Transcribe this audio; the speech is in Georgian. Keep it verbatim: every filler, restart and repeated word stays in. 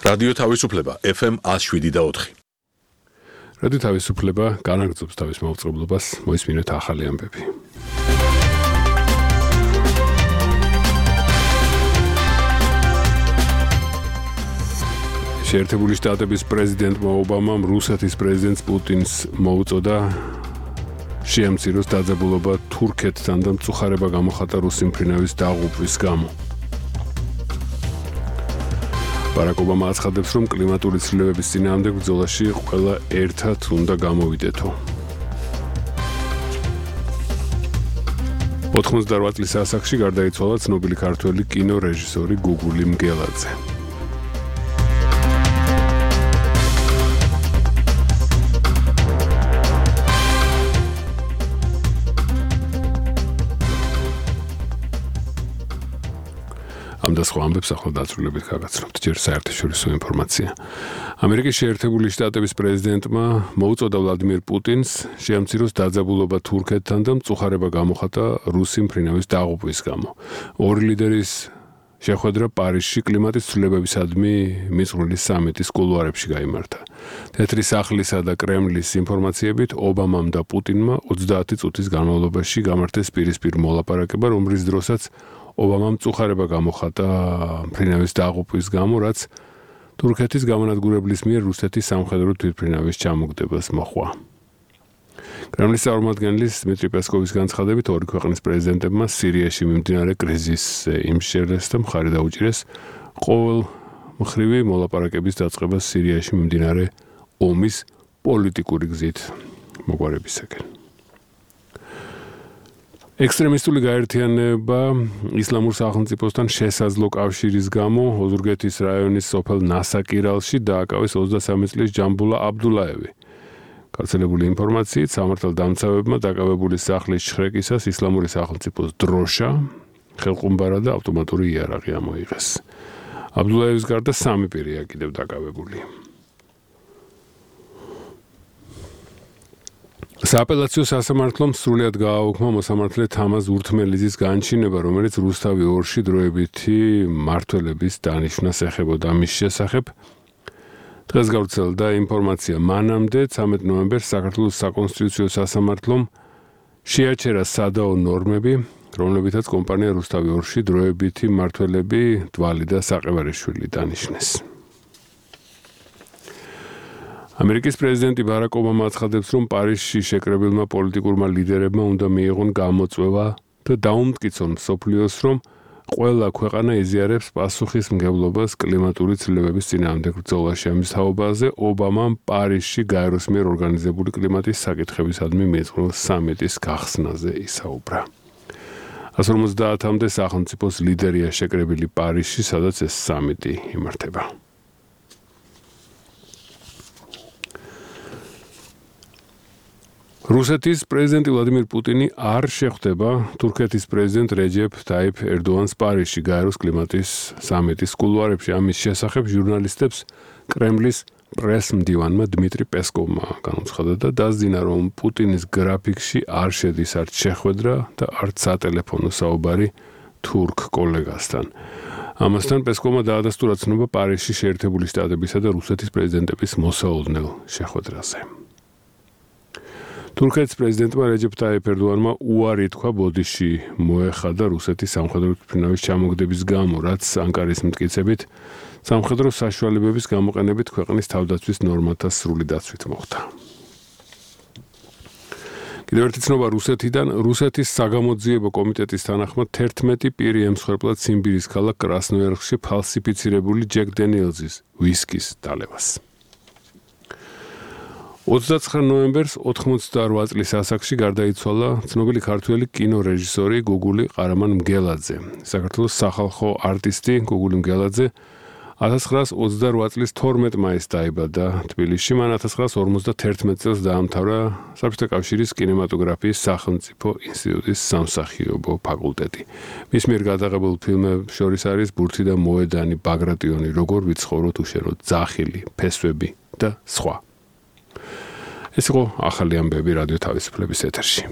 რადიო თავისუფლება F M one oh seven და four. რადიო თავისუფლება განაგრძობს თავის მაუწყებლობას, მოისმინეთ ახალი ამბები. შეერთებული შტატების პრეზიდენტმა ობამამ რუსეთის პრეზიდენტს პუტინს მოუწოდა შეამციროს დაძაბულობა თურქეთთან და მწუხარება გამოხატა რუსი მფრინავის დაღუპვის გამო. ბარაკ ობამა აცხადებს, რომ კლიმატური ცვლილებების წინააღმდეგ ბრძოლაში ყველა ერთად უნდა გამოვიდეთო. ოთხმოცდაოთხ წლის ასაკში გარდაიცვალა ცნობილი ქართველი კინორეჟისორი გუგული მგელაძე. ამ და სხვა ამბებს ახლა დაწვრილებით გაგაცნობთ. ჯერ საერთაშორისო ინფორმაცია. ამერიკის შეერთებული შტატების პრეზიდენტმა მოუწოდა ვლადიმერ პუტინს შეამციროს დაძაბულობა თურქეთთან და მწუხარება გამოხატა რუსი მფრინავის დაღუპვის გამო. ორი ლიდერის შეხვედრა პარიზში კლიმატის ცვლილებებისადმი მიწვრილი სამიტის კულუარებში გაიმართა. თეთრი სახლისა და კრემლის ინფორმაციებით ობამამ და პუტინმა ოცდაათი წუთის განმავლობაში გამართეს პირისპირ მოლაპარაკება, რომლის დროსაც ობამამ მწუხარება გამოხატა მფრინავის დაღუპვის გამო, რაც თურქეთის გამანადგურებლის მიერ რუსეთის სამხედრო თვითმფრინავის ჩამოგდებას მოჰყვა. კრემლის წარმომადგენლის დმიტრი პესკოვის განცხადებით, ორი ქვეყნის პრეზიდენტებმა სირიაში მიმდინარე კრიზისზე იმსჯელეს და მხარი დაუჭირეს ყოველმხრივი მოლაპარაკების დაწყებას სირიაში მიმდინარე ომის პოლიტიკური გზით მოგვარებისაკენ. ექსტრემისტული გაერთიანება ისლამურ სახელმწიფოსთან შესაძლო კავშირის გამო ოზურგეთის რაიონის სოფელ ნასაკირალში დააკავეს ოცდასამი წლის ჯამბულა აბდულაევი. გავრცელებული ინფორმაციით, სამართალდამცავებმა დაკავებული სახლის შხრეკისას ისლამური სახელმწიფოს დროშა, ხელყუმბარა და ავტომატური იარაღი ამოიღეს. აბდულაევის გარდა სამი პირია კიდევ დაკავებული. სააპელაციო სასამართლომ სრულად გააუქმა მოსამართლე თამაზ ურთმელიძის განჩინება, რომელიც რუსთავი ორში დროებითი მმართველების დანიშვნას ეხებოდა. მის შესახებ დღეს გავრცელდა ინფორმაცია. მანამდე ცამეტ ნოემბერს საქართველოს საკონსტიტუციო სასამართლომ შეაჩერა სადაო ნორმები, რომლებითაც კომპანია რუსთავი ორში დროებითი მმართველები დვალი და საყევარიშვილი დანიშნეს. ამერიკის პრეზიდენტი ბარაკ ობამა აცხადებს, რომ პარიზში შეკრებილმა პოლიტიკურმა ლიდერებმა უნდა მიიღონ გამოწვევა და დაუმტკიცონ მსოფლიოს, რომ ყველა ქვეყანა იზიარებს პასუხისმგებლობას კლიმატური ცვლილებების წინააღმდეგ ბრძოლაში. ამის თაობაზე ობამამ პარიზში გაეროს მიერ ორგანიზებული კლიმატის საკითხებისადმი მიწვრილ სამიტის გახსნაზე ისაუბრა. one hundred fifty-მდე სახელმწიფოს ლიდერია შეკრებილი პარიზში, სადაც ეს სამიტი იმართება. რუსეთის პრეზიდენტი ვლადიმერ პუტინი არ შეხვდება თურქეთის პრეზიდენტ რეჯეფ ტაიფ ერდოანს პარიზში გაეროს კლიმატის სამიტის კულუარებში. ამის შესახებ ჟურნალისტებს კრემლის პრეს-მდივანმა დმიტრი პესკოვმა განუცხადა და დასძინა, რომ პუტინის გრაფიკში არ შედის არც შეხვედრა და არც სატელეფონო საუბარი თურქ კოლეგასთან. ამასთან პესკოვმა დაადასტურა ცნობა პარიზში შეერთებული შტატებისა და რუსეთის პრეზიდენტების მოსაოდნელ შეხვედრაზე. თურქეთის პრეზიდენტმა რეჯეფ ტაიფ ერდოანმა უარი თქვა ბოდიში მოეხადა რუსეთის სამხედრო თვითმფრინავის ჩამოგდების გამო, რაც ანკარის მტკიცებით სამხედრო საშუალებების გამოყენებით ქვეყნის თავდაცვის ნორმათა სრული დაცვით მოხდა. კიდევ ერთი ცნობა რუსეთიდან. რუსეთის საგამოძიებო კომიტეტის თანახმად თერთმეტი პირი ემსხვერპლა ციმბირის ქალაქ კრასნოიარსკში ფალსიფიცირებული ჯეკ დენიელზის ვისკის დალევას. ოცდაცხრა ნოემბერს ოთხმოცდაოთხ წლის ასაკში გარდაიცვალა ცნობილი ქართველი კინორეჟისორი გუგული ყარამან მგელაძე. საქართველოს სახალხო არტისტი გუგული მგელაძე one thousand nine hundred ოცდარვა წლის თორმეტ მაისს დაიბადა თბილისში. მან one thousand nine hundred ორმოცდათერთმეტ წელს დაამთავრა საბჭოთა კავშირის კინემატოგრაფიის სახელმწიფო ინსტიტუტის სამსახიობო ფაკულტეტი. მის მიერ გადაღებულ ფილმებს შორის არის ბურთი და მოედანი, ბაგრატიონი, როგორ ვიცხოვროთ უშენოდ, ძახილი, ფესვები და სხვა. ეს იყო ახალი ამბები რადიო თავისუფლების ეთერში.